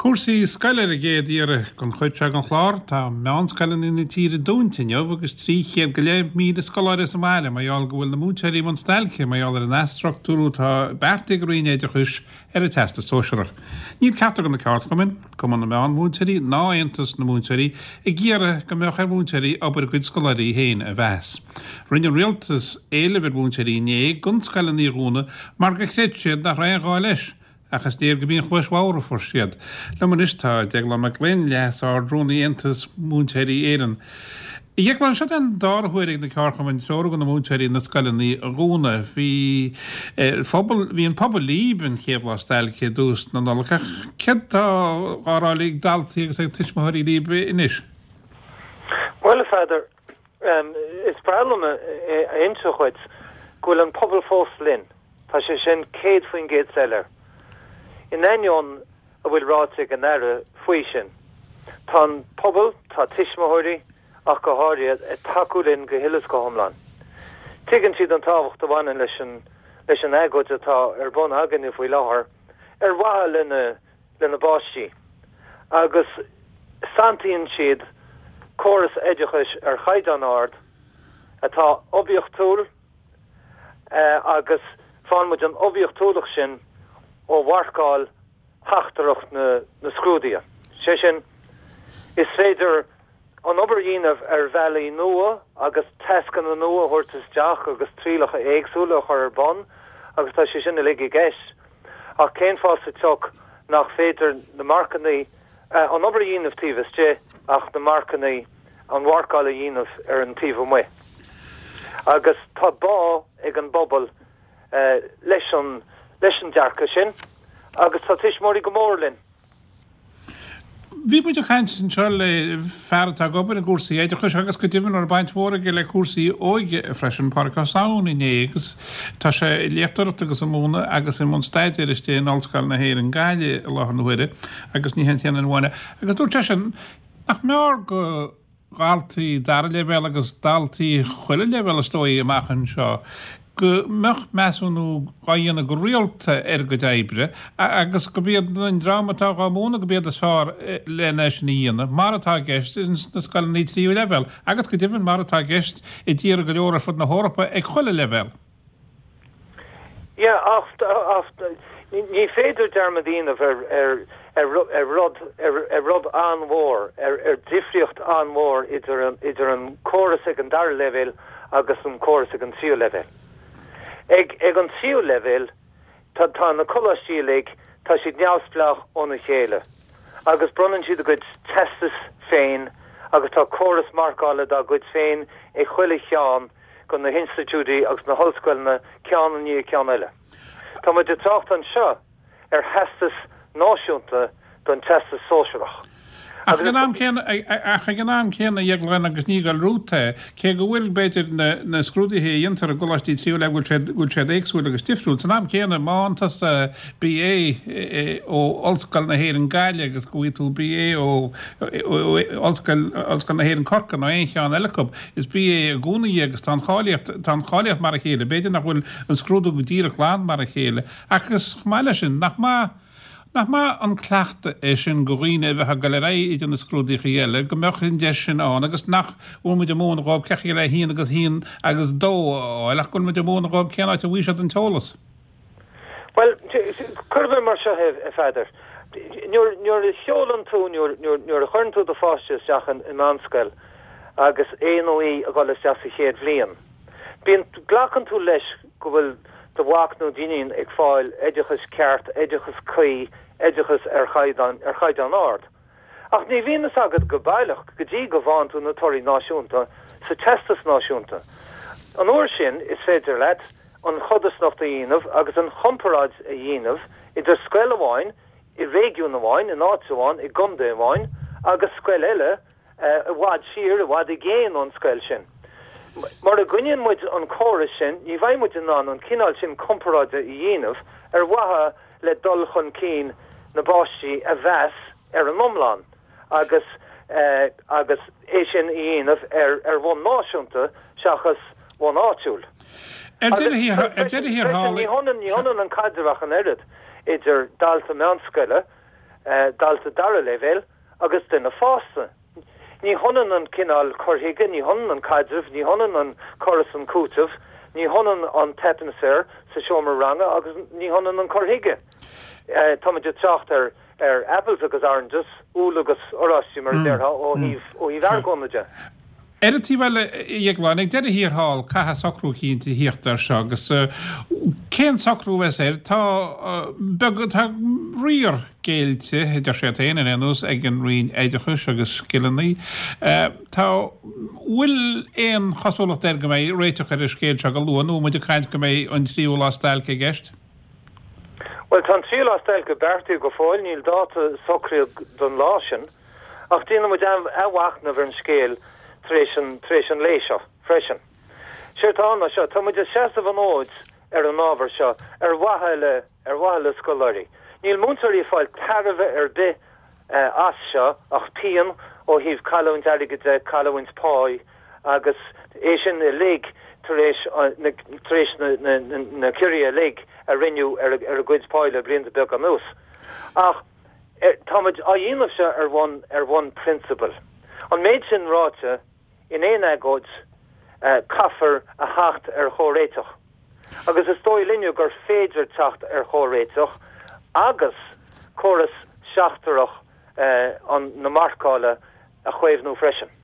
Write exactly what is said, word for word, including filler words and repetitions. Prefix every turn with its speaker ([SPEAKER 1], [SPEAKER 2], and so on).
[SPEAKER 1] Cúrsaí scoile ar an gcéad iarraidh den chuid seo den chlár. Tá meánscoileanna na tíre dúnta inniu agus trí chéad go leith míle scoláire sa mbaile mar gheall go bhfuil na múinteoirí i mbun stailce mar gheall ar an athstruchtúrú atá beartaithe ag an Roinn Oideachais ar an Teastas Sóisearach. Níl ceachtar de na ceardchumainn, Cumann na Meánmhúinteoirí ná Aontas na Múinteoirí, ag iarraidh go mbeadh ar mhúinteoirí obair a gcuid scoláirí féin a mheas. Rinne an Rialtas éileamh ar mhúinteoirí inné gan scoileanna a dhúnadh mar gur chreid siad nach raibh aon ghá leis. Ach is léir gurb í an chluais bhodhar a fuair siad. Liom anois tá Deaglán Mac Gloinn, Leas-Ard-Rúnaí Aontas Múinteoirí Éireann. A Dheagláin, seo an dara huair ag na ceardchumainn treorú do na múinteoirí na scoileanna a dhúnadh. Bhí phobal, bhí an pobal libh an chéad lá stailce i dtús na Nollag ach céard tá á rá ag daltaí agus ag tuismitheoirí libh anois?
[SPEAKER 2] Bhuel, a Pheadair, is breá liom a inse dhuit go bhfuil an pobal fós linn. Tá sé sin céad faoin gcéad soiléir. In ainneoin a bhfuil ráite ag an Aire faoi sin, tá an pobal, tá tuismitheoirí ach go háirithe, ag tacú linn go huile is go hiomlán. Tuigeann siad an tábhacht a bhaineann leis an leis an agóid atá ar bun againne faoi láthair ar mhaithe lena lena bpáistí agus santaíonn siad córas oideachais ar chaighdeán ard atá oibiachtúil, agus faigheann muid an oibiachtúlacht sin ó mharcáil sheachtrach na scrúduithe. Sé sin, is féidir an obair a dhéanamh ar bhealaí nua agus tascanna nua a thabhairt isteach agus trialacha éagsúla a chur ar bun agus tá sé sin uilig i gceist. Ach cén fáth sa tsioc nach féidir na marcanna, an obair a dhéanamh taobh istigh ach na marcanna, an mharcáil a dhéanamh ar an taobh amuigh? Agus tá bá ag an bpobal leis an leis an dearcadh sin agus tá tuismitheoirí go mór linn.
[SPEAKER 1] Bhí muid ag caint anseo le fear atá ag obair i gcúrsaí oideachais agus go deimhin a raibh baint mhór aige le cúrsaí óige freisin, Pádraig Ó Samhain inné agus tá sé ag léachtóireacht agus ag múineadh agus i mbun staidéir istigh in Ollscoil na hÉireann Gaillimh i láthair na huaire agus ní hé an t-aon duine amháin é. Agus dúirt seisean nach mb'fhearr go dhaltaí dara leibhéal agus daltaí chuile leibhéal is dóigh amach anseo, go mbeadh measúnú á dhéanamh go rialta ar a gcuid oibre agus gurb iad an dream atá á múineadh gurb iad is fearr lena é sin a dhéanamh, mar atá i gceist ins na scoileanna tríú leibhéal agus go deimhin mar atá i gceist i dtíortha go leor ar fud na hEorpa ag chuile leibhéal.
[SPEAKER 2] Yeah, ach ní féidir dearmad a dhéanamh ar ar ar rud ar rud an-mhór, ar ar difríocht an-mhór idir an idir an córas ag an dara leibhéal agus an córas ag an tríú leibhéal. Ag ag an tríú leibhéal tá tá na coláistí uilig, tá siad neamhspleách óna chéile agus bronnann siad a gcuid teastas féin agus tá córas marcála dá gcuid féin ag chuile cheann de na hinstitiúidí agus na hollscoileanna ceann i ndiaidh ceann eile. Tá muid ag trácht anseo ar theastas náisiúnta don Teastas Sóisearach.
[SPEAKER 1] Ach ag an am céanna, ach ag an am céanna, a Dheagláin, agus ní ag dul romhat é, cé go bhfuil, b'fhéidir, na, na scrúduithe a dhéantar i gcoláistí tríú leibhéal, go bhfuil siad, go bhfuil siad éagsúil agus difriúil, san am céanna, má fhaigheann tusa BA ó Ollscoil na hÉireann Gaillimh agus go bhfaighidh tú BA ó Ollscoil, Ollscoil na hÉireann Corcaigh nó aon cheann eile acu, is BA i gcónaí é agus tá an cháilíocht, tá an cháilíocht mar a chéile. B'fhéidir nach bhfuil an scrúdú go díreach glan mar a chéile agus chomh maith leis sin, nach maith, nach maith an cleachtadh é sin go dhaoine a bheadh ag dul ar aghaidh idir na scrúdaíocha eile, go mbeadh an deis sin ann agus nach bhfuil muid ag múineadh dhóibh cén chaoi le a haon agus a haon agus dó a fháil ach go bhfuil muid ag múineadh dhóibh cén áit a bhfaighidh siad an t-eolas.
[SPEAKER 2] Bhuel, cuirfidh mé mar seo é, a Pheadair. Nuair a sheolann tú, nuair a chuireann tú do pháiste isteach i meánscoil agus é nó í ag dul isteach sa chéad bhliain, bíonn, glacann tú leis go bhfuil do mhac nó d'iníon ag fáil oideachas ceart, oideachas cuí, oideachas ar chaighdeán, ar chaighdeán ard. Ach ní bhíonn fhios agat go baileach go dtí go bhfaigheann tú na torthaí náisiúnta sa Teastas Náisiúnta. An uair sin is féidir leat an chodarsnacht a dhéanamh agus an chomparáid a dhéanamh idir scoil amháin i réigiún amháin, in áit amháin, i gcontae amháin, agus scoil eile i bhfad siar, i bhfad i gcéin ón scoil sin. Mura gcoinníonn muid an córas sin, ní bheidh muid in ann an cineál sin comparáide a dhéanamh ar mhaithe le dul chun cinn na bpáistí a mheas ar an iomlán agus agus é sin a dhéanamh ar ar bhonn náisiúnta seachas bonn áitiúil.
[SPEAKER 1] Ar deireadh thiar, ar deireadh thiar thall.
[SPEAKER 2] Ní hionann, ní hionann an caidreamh ach an oiread idir dalta meánscoile dalta dara leibhéal agus duine fásta. Ní hionann an cineál cur chuige, ní hionann an caidreamh, ní hionann an cur is an cúiteamh, ní hionann an t-atmaisféar sa seomra ranga agus ní hionann an cur chuige. Táimid ag trácht ar ar apples agus oranges, úll agus oráistí mar a déarfá ó thaobh ó thaobh argóna de.
[SPEAKER 1] Ar an taobh eile, a Dhéagláin, ag deireadh thiar thall, caithfidh socrú eicínt a thíocht air seo agus cén socrú a bheas air? Tá beag, tá riar géillte, a deir siad féin, ar aon nós, ag an Roinn Oideachais agus Scileanna. Tá, bhfuil aon chosúlacht air go mbeidh réiteach ar an scéal seo go luath nó muid ag caint go mbeidh an tríú lá stailce i gceist?
[SPEAKER 2] Bhuel, tá an tríú lá stailce beartaithe go fóill, níl dáta socraithe don lá sin, ach déanfaidh muid athmhachnamh ar an scéal tar éis an, tar éis an lae seo freisin. Séard atá ann ná seo, tá muid ag seasamh an fhóid ar an ábhar seo ar mhaithe le, ar mhaithe le scoláirí. Níl múinteoirí ag fáil tairbhe ar bith as seo ach pian ó thaobh cailliúint airgid de, cailliúint páí agus é sin uilig tar éis na, tar éis na, na, na, na ciorruithe uilig a rinneadh ar, ar a gcuid páí le blianta beaga anuas. Ach táimid á dhéanamh seo ar bhonn, ar bhonn prionsabail. An méid sin ráite, in aon agóid, caithfear a theacht ar chomhréiteach. Agus is dóigh linne gur féidir teacht ar chomhréiteach agus córas seachtrach an na marcála a chaomhnú freisin.